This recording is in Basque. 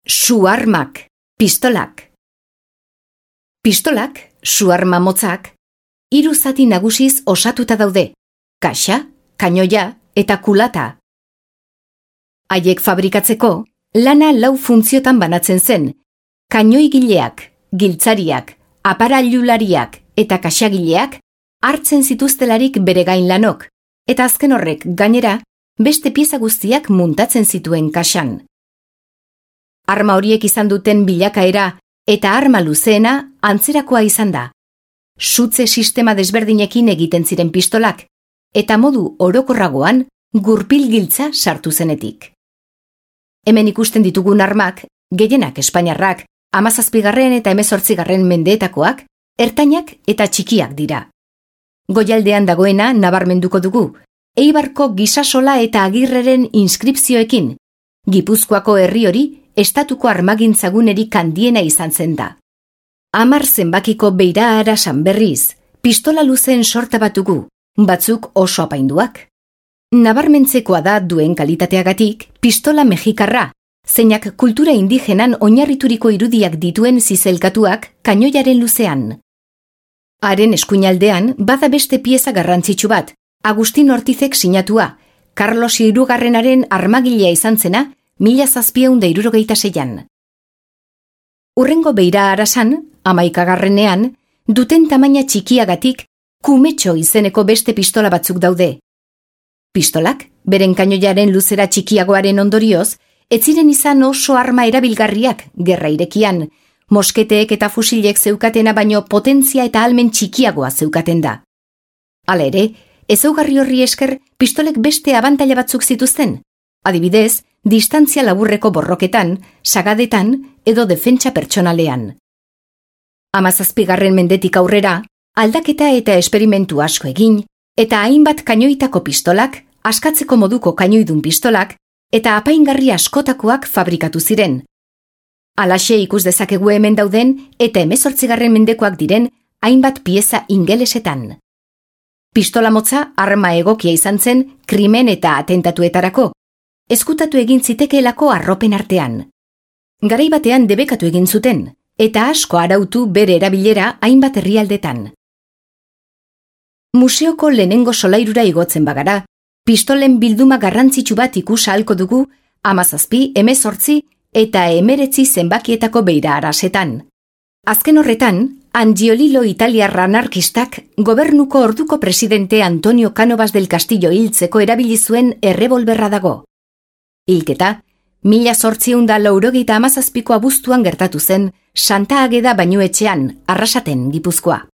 Su-armak, pistolak. Pistolak, su-arma motzak, 3 zati nagusiz osatuta daude, kaxa, kanoia eta kulata. Haiek fabrikatzeko, lana 4 funtziotan banatzen zen, kanoigileak, giltzariak, aparailulariak eta kaxagileak hartzen zituztelarik bere gain lanok, eta azken horrek gainera beste pieza guztiak muntatzen zituen kaxan. Arma horiek izan duten bilakaera eta arma luzeena antzerakoa izan da. Sutze sistema desberdinekin egiten ziren pistolak, eta modu orokorragoan gurpil-giltza sartu zenetik. Hemen ikusten ditugun armak, gehienak espainiarrak, 17. eta 18. mendeetakoak, ertainak eta txikiak dira. Goialdean dagoena nabarmenduko dugu, Eibarko Gisasola eta Agirreren inskripzioekin, Gipuzkoako herri hori estatuko armagintzagunerik handiena izan zen da. 10 zenbakiko beira arasan berriz, pistola luzeen sorta bat dugu, batzuk oso apainduak. Nabarmentzekoa da duen kalitateagatik pistola mexikarra, zeinak kultura indigenan oinarrituriko irudiak dituen zizelkatuak kanoiaren luzean. Haren eskuinaldean bada beste pieza garrantzitsu bat, Agustin Ortizek sinatua, Carlos Hirugarrenaren armagilea izan zena 1776an. Urrengo beira arasan, 11. duten tamaina txikiagatik kumetxo izeneko beste pistola batzuk daude. Pistolak, beren kanoiaren luzera txikiagoaren ondorioz, ez ziren izan oso arma erabilgarriak gerra irekian, mosketeek eta fusilek zeukatena baino potentzia eta ahalmen txikiagoa zeukaten da. Hala ere, ezaugarri horri esker pistolek beste abantaila batzuk zituzten, adibidez, distantzia laburreko borroketan, sagadetan edo defentsa pertsonalean. 17. mendetik aurrera, aldaketa eta esperimentu asko egin, eta hainbat kanoitako pistolak, askatzeko moduko kanoidun pistolak, eta apaingarri askotakoak fabrikatu ziren. Halaxe ikus dezakegu hemen dauden eta 18. mendekoak diren hainbat pieza ingelesetan. Pistola motza arma egokia izan zen krimen eta atentatuetarako, ezkutatu egin zitekeelako arropen artean. Garai batean debekatu egin zuten, eta asko arautu bere erabilera hainbat herrialdetan. Museoko lehenengo solairura igotzen bagara, pistolen bilduma garrantzitsu bat ikus ahalko dugu 17, 18 eta 19 zenbakietako beira arasetan. Azken horretan, Angiolillo italiar anarkistak gobernuko orduko presidente Antonio Cánovas del Castillo hiltzeko erabili zuen errebolberra dago. Hilketa, 1897ko abuztuan gertatu zen Santa Ageda bainuetxean, Arrasaten, Gipuzkoa.